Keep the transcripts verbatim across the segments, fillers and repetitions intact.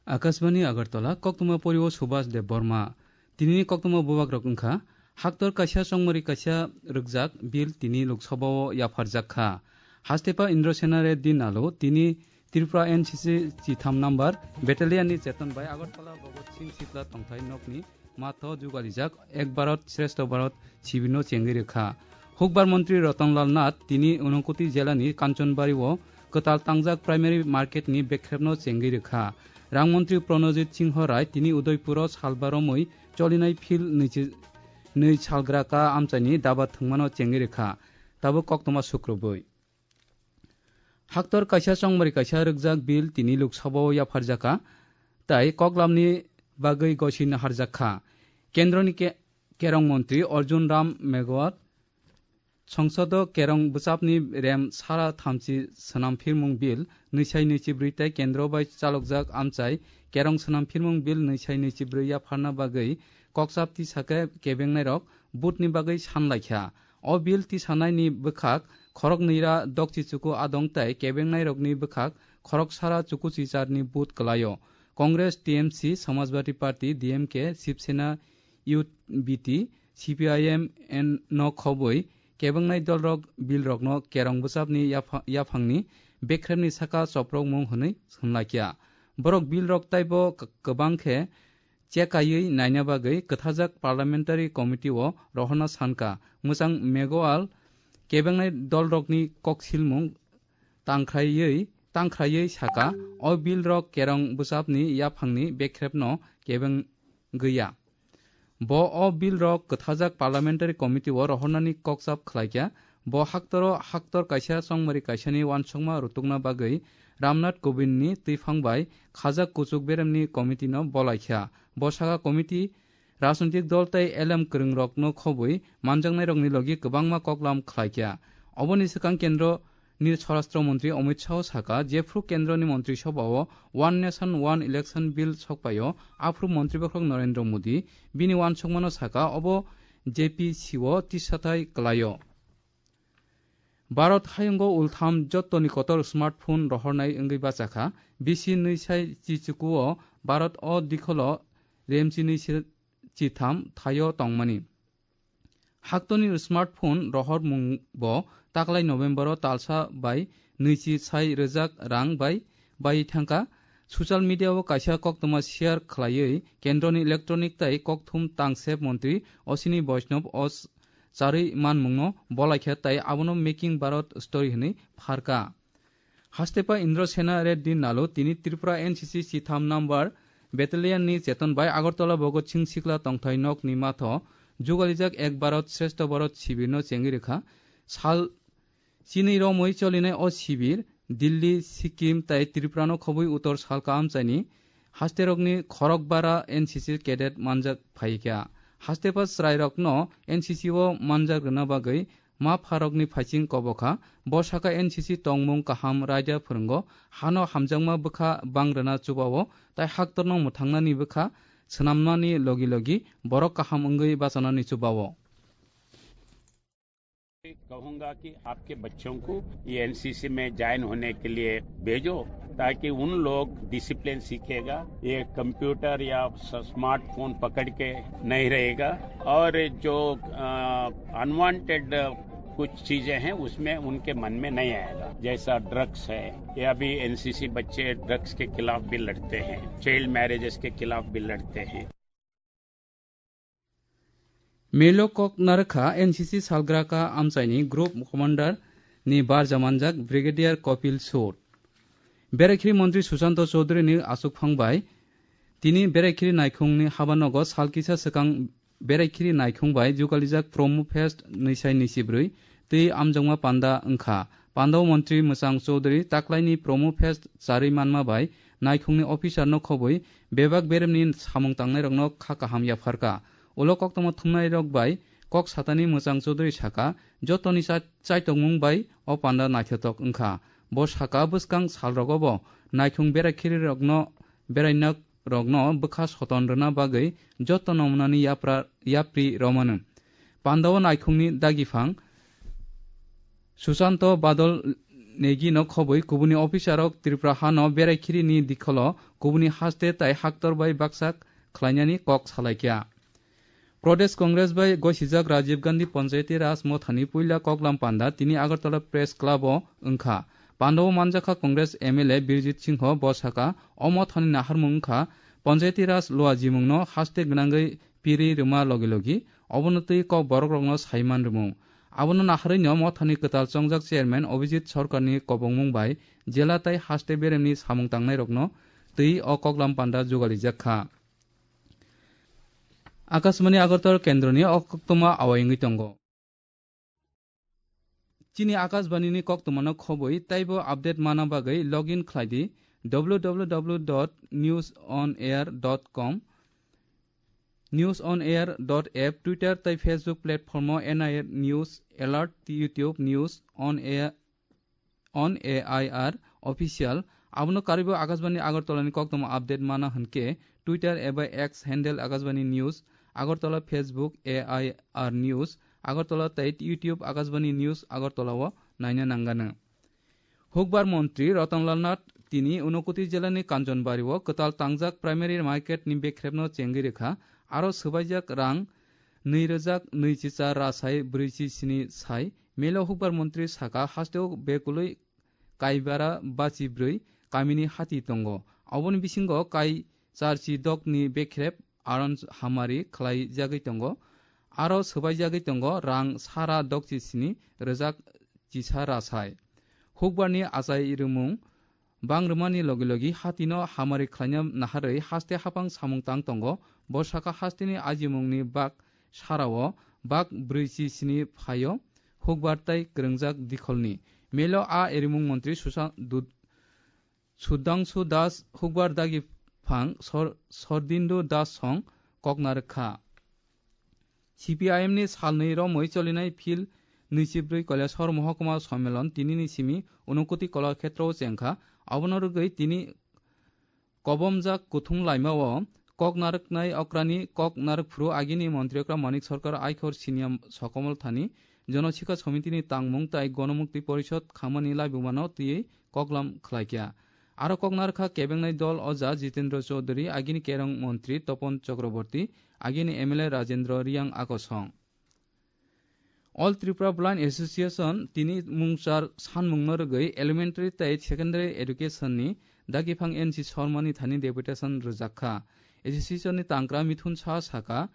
Akashbani Agartala, koktwma porio Subhas Debbarma. Tinini koktwma bubagrok wngkha, haktor kaisa chongmari kaisa rwkjak bill tini Lok Sabha-o yapharjak kha. Hastepa Indrasena Reddy Nalu tini Tripura N C C chitham number battalion ni cheton bai Agartala Bhagat Singh Sikla tongthai nokni matho jugalijak Ek Bharat Shreshtha Bharat sibirno chengwi rwkha. Hukbar montri Ratan Lal Nath tini Unakoti jelani Kanchanbari-o kwtal tangjak primary market ni bekrepno chengwi rwkha. Rang montri Pranajit Singho Rai tini Udaipuro salba romwi cholinai phil nwichi-, nwi salgra ka amchaini daba thwngmano chengwi rwkha. Tabuk koktwma sukrubwi. Haktor kaisa chongmari kaisa rwkjak bill tini Lok Sabha-o yapharjakha, tai koklamni bagwi gosino harjakha. Kendroni ke-, kerong montri Arjun Ram Meghwal songsodo kerong bwchapni rem sara thamchi swnam phirmung bill nwisai nwichibrwi tai kendro bai chalokjak amchai kerong swnam phirmung bill nwisai nwichibrwi yapharna bagwi kokchap tisakhe kebengnairok vote-ni bagwi sanlaikha. O bill tisanaini bwkhak khoroknwi ra dokchi chuku adong tai kebengnairokni bwkhak khoroksara chukuchicharni vote kwlaio. Congress, T M C, Samajwadi Party, D M K, Shiv Sena, U B T, C P I M no khobwi kebengnai dolrok billrokno kerong bwchapni yapha-, yaphangni bekremni saka choprokmung hwnwi hwnlakya. Borok billrok taibo k-, kwbang khe chekaiwi naina bagwi kwthajak Parliamentary Committee-o rohorna sankha. Mwchang Meghwal kebengnai dolrokni koksilmung tangkhraiwi, tangkhraiwi saka, o billrok kerong bwchapni yaphangni bekrepno kebeng gwiya. Bo o billrok kwthajak Parliamentary Committee-o rohornani kokchap khlaikha. Bo haktoro haktor kaisa chongmari kaisani uansukma rutukna bagwi Ramnath Kovindni twiphang bai khajak kuchuk beremni committee-no bolaikha. Bo saka committee rajnitik dol tei elem kwrwngrokno khobwi manjaknairokni logi kwbangma koklam khlaikha. Oboni swkang kendro ni Swarashtra Montri Amit Shah saka, jephru kendroni Montri Sobha-o One Nation One Election Bill sokpaio, aphru Montri Bokhorok Narendra Modi bini uansukmano saka, obo J P C-o tisathai kwlaio. Bharat hayungo ultham jottoni kotor smartphone rohornai wngwi bachakha, bisi nwi sai chichukuo Bharat o dikholo remchinwi se chitham thaio tongmani. Haktoni smartphone rohormung bo taklai November-o talsa bai nwichi sai rwjak rang bai bai thangkha. Social media-o kaisa koktwma share khlaiwi kendroni electronic tei kokthum tangsep montri Ashwini Vaishnaw o charwi manmungno bolaikha tei abono Making Bharat Story hwnwi pharkha. Hastepa Indrasena Reddy Nalu tini Tripura N C C chitham number battalion ni cheton bai Agartala Bhagat Singh Sikla tongthai nok ni matho jugalijak Ek Bharat Shreshtha Bharat sibir no chengwi rwkha. Sal chini romwi cholinai o sibir Delhi, Sikkim tai Tripura no khobwi utor salka amchaini hasterokni khorokbara N C C cadet manjak phaikha. Hastepa chwrairokno N C C o manjak rwna bagwi ma pharokni phaiching kobokha. Bo saka N C C tongmung kaham raida phwrwngo, hano hamjakma bwkha bang rwna chubao, tai haktorno mwthangnani bwkha swnamnani logi logi borok kaham wngwi bachanani chubao. कहूंगा कि आपके बच्चों को ये एनसीसी में ज्वाइन होने के लिए भेजो, ताकि उन लोग डिसिप्लिन सीखेगा, ये कंप्यूटर या स-, स्मार्टफोन पकड़ के नहीं रहेगा, और जो, अ, अनवांटेड कुछ चीजें हैं, उसमें उनके मन में नहीं आएगा, जैसा ड्रग्स है। ये अभी एनसीसी बच्चे ड्रग्स के खिलाफ भी लड़ते हैं, चाइल्ड मैरिजेस के खिलाफ भी लड़ते हैं। Melo kok narwkha N C C salgraka amchaini group commander ni barja manjak Brigadier Kopil Sud. Beraikhiri montri Susanto Chaudhary ni achukphang bai tini Beraikhiri naikhung ni habanogo sal kisa swkang Beraikhiri naikhung bai jugalijak Promo Fest nwisai nwichibrwi twi amjokma panda wngkha. Pandao montri Mwchang Chaudhary taklaini Promo Fest charwi manma bai naikhungni officer no khobwi bebak beremni samung tangnairokno kha kaham yapharkha. Ulo koktwma thumnairok bai kok satani Mwchang Chaudhary saka, jotoni cha-, chaitokmung bai o panda naithotok wngkha. Bo saka bwskang salrogo bo naikhung berai khirirokno, berainok rokno bwkha soton rwna bagwi joto nomunani yapra-, yapri romano. Pandao naikhungni dagiphang Susanto Badol Negi no khobwi kubuni officer rok Tripura hano berai khiri ni dikholo kubuni haste tai haktor bai baksa khlainani kok salaikha. Pradesh Congress bai gosijak Rajiv Gandhi Panchayati Raj mothani puila koklam panda tini Agartala Press Club o wngkha. Panda o manjakha Congress M L A Birjit Singho, bo sakha, o mothani naharmung wngkha Panchayati Raj lua jimung no haste gwnangwi piri rwma logi logi obono twi kok borok rokno saiman rwmung. Abono naharwi no mothani kwtal chongjak chairman Abhijit Sarkarni kobongmung bai jela tai haste beremni samung tangnai rokno twi o koklam panda jugalijak kha. Akashbani Agartala kendroni o koktwma awai wngwi tongo. Chini Akashbani ni koktwma no khobwi taibo update mana bagwi login khlai di W W W dot news on air dot com, news on air dot app, Twitter tai Facebook platform o N I R News Alert, YouTube News on air on A I R official. Abono karwibo Akashbani Agartala ni koktwma update mana hwnkhe Twitter eba X handle Akashbani News Agartala, Facebook A I R News Agartala tei YouTube Akashbani News Agartala o naina nangano. Hukbar montri Ratan Lal Nath tini Unakoti jela ni Kanchanbari o kwtal tangjak primary market ni bekrep no chengwi rwkha, aro swbaijak rang nwi rwjak nwi chicha rasai brwi chi sini sai. Melo hukbar montri saka, hasteo bekulwi kaibara bachi brwi kamini hati tongo. Oboni bisingo kai charchi dokni bekrep aron hamari khlai jagwi tongo. Aro swbai jagwi tongo rang sara dokchi sini rwjak chisa rasai. Hukbarni achai rwmung bang rwmani logi logi hatino hamari khlaina naharwi haste hapang samung tang tongo. Bo saka hasteni ajimungni bak sarao bak brwi chi sini phaio hukbar tai kwrwngjak dikholni. Melo a erimung montri Susa-, Dud-, Sudhangshu Das hukbar dagi phang Sor-, Sordindu Das song koknarwk kha. C P I M ni salnwi romwi cholinai phil nwichibrwi Kailasahar Mohokuma Sommilon tinini simi Unakoti Kolakhetrao chengkha. Abono rwgwi tini kobomjak kuthum laimao kok narwknai okrani kok narwkphuru agini montri okra Manik Sarkar, Aikhor Siniya Sokomol Thani, Jonosikha Somitini tangmung tai Gonomukti Porishod khamani laibumano twiwi koklam khlaikha. Aro kok narwkha kebengnai dol oja Jitendra Chaudhary, agini kerong montri Topon Chakraborty, agini M L A Rajendra Riyang akosong. All Tripura Blind Association tini mungchar sanmungno rwgwi elementary tei secondary education ni dagiphang N C Sharma ni thani deputation rwjak kha. Association ni tangkra Mithun Saha saka,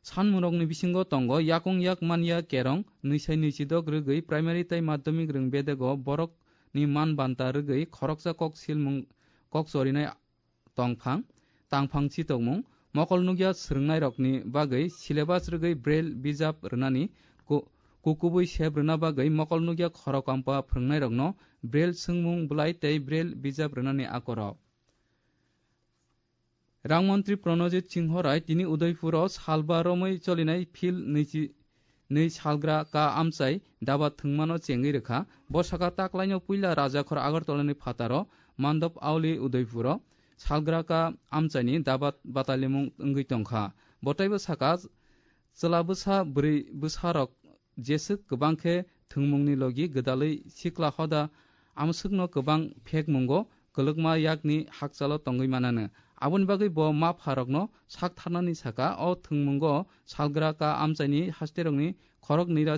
sanmungrokni bisingo tongo yakung yak manya kerong nwi sai nwi chidok rwgwi primary tei madhyamik rwng bedego borok ni man banta rwgwi khoroksa kok silmung kok chorinai tongphang, tangphang chitokmung, mokol nukya swrwngnairokni bagwi syllabus rwgwi Braille bijap rwnani, ku-, kukubui sep rwna bagwi mokol nukya khorok kampha phwrwngnairokno Braille swngmung bwlai tei Braille bijap rwnani akorok. Rang montri Pranojit Singho Rai tini Udaipuro salba romwi cholinai phil nwichi nwi salgra ka amchai daba thwngmano chengwi rwkha. Bo saka taklaino puila Rajakhor Agartala ni phataro Mandop Auli Udaipuro salgra ka amchaini daba batalimung wngwi tongkha. Bo teibo saka chwla bwsa bwrwi bwsarok jeswk kwbang khe thwngmungni logi gwdalwi sikla hoda amswkno kwbang phekmungo kwlwkma yakni hakchalo tongwi manano. Aboni bagwi bo ma pharokno sak tharnani saka o thwngmungo salgra ka amchaini hasterokni khorok nwi ra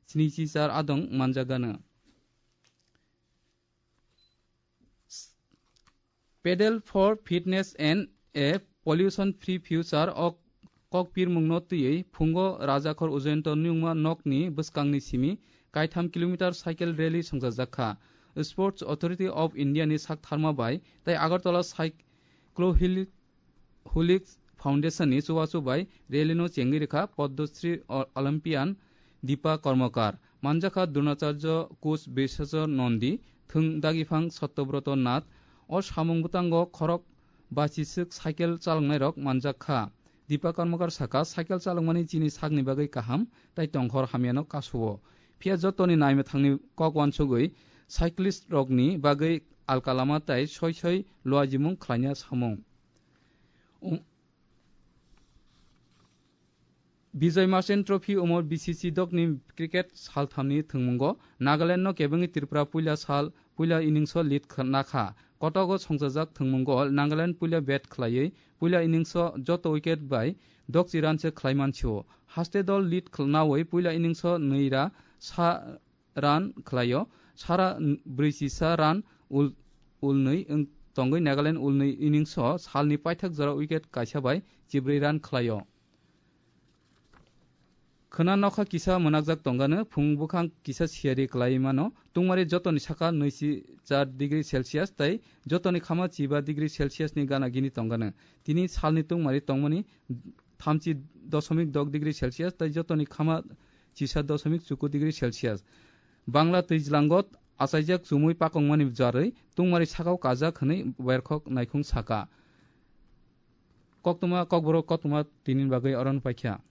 snichi char adong manjakgano. Pedal for Fitness and a Pollution Free Future o kokpirmungno twiwi phungo Rajakhor Ujayanta nungma nokni bwskangni simi kaitham kilometer cycle rally songchajakha. Sports Authority of India ni saktharma bai tei Agartala Cyclohilic Foundation ni chubachu bai rally no chengwi rwkha Padma Shri Olympian Deepa Karmakar, manjakha Dronacharya Coach Biswajit Nandi, thwng dagiphang Satyabroto Nath. O samung bwtango khorok bachiswk cycle chaloknairok manjakha. Deepa Karmakar saka, cycle chalokmani chini sakni bagwi kaham, tai tongkhor hamyano kasuo. Phiya jotoni naimwthangni kok uansugwi cyclist rokni bagwi alka lama tai soi soi luajimung khlaina samung. Um, Bijoy Merchant Trophy omo B C C dogni cricket salthamni thwngmungo Nagaland no kebengwi Tripura puila sal puila innings o lead kha-, nakha. Kotogo songchajak thwngmungo Nagaland puila bat khlaiwi puila innings o joto wicket bai dogchi run se khlai mansio. Haste dol lead khl-, nawi puila innings o nwi ra sa run khlaio. Sara n-, brwichi sa run ul-, ulnwi wng tongwi Nagaland ulnwi innings o salni paithak jora wicket kaisa bai chibrwi run khlaio. Khwna nokha kisa mwnakjak tongano, phung bwkhang kisa siyari kwlai mano, tungmari jotoni saka nwichi char degree Celsius tei jotoni khama chiba degree Celsius ni gana gini tongano. Tini salni tungmari tongmani thamchi dosomik dok degree Celsius tei jotoni khama chisa dosomik chuku degree Celsius. Bangla twijlangot achaijak chumui pakongmani jarwi tungmari sakao kajak hwnwi berkhok naikhung saka. Koktwma kokborok koktwma tinin bagwi oron paikha.